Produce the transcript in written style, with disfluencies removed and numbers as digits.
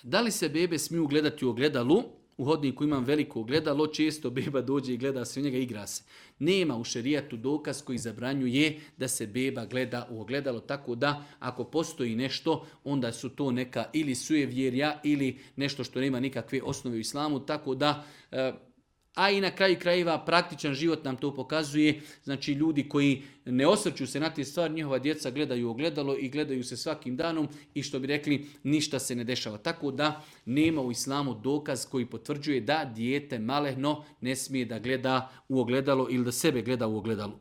Da li se bebe smiju gledati u ogledalu? U hodniku imam veliko ogledalo, često beba dođe i gleda se u njega, igra se. Nema u šerijatu dokaz koji zabranjuje da se beba gleda u ogledalo, tako da ako postoji nešto, onda su to neka ili sujevjerja ili nešto što nema nikakve osnove u islamu, tako da... A i na kraju krajeva praktičan život nam to pokazuje. Znači ljudi koji ne osvrću se na te stvari, njihova djeca gledaju ogledalo i gledaju se svakim danom i što bi rekli ništa se ne dešava. Tako da nema u islamu dokaz koji potvrđuje da dijete malehno ne smije da gleda u ogledalo ili da sebe gleda u ogledalo.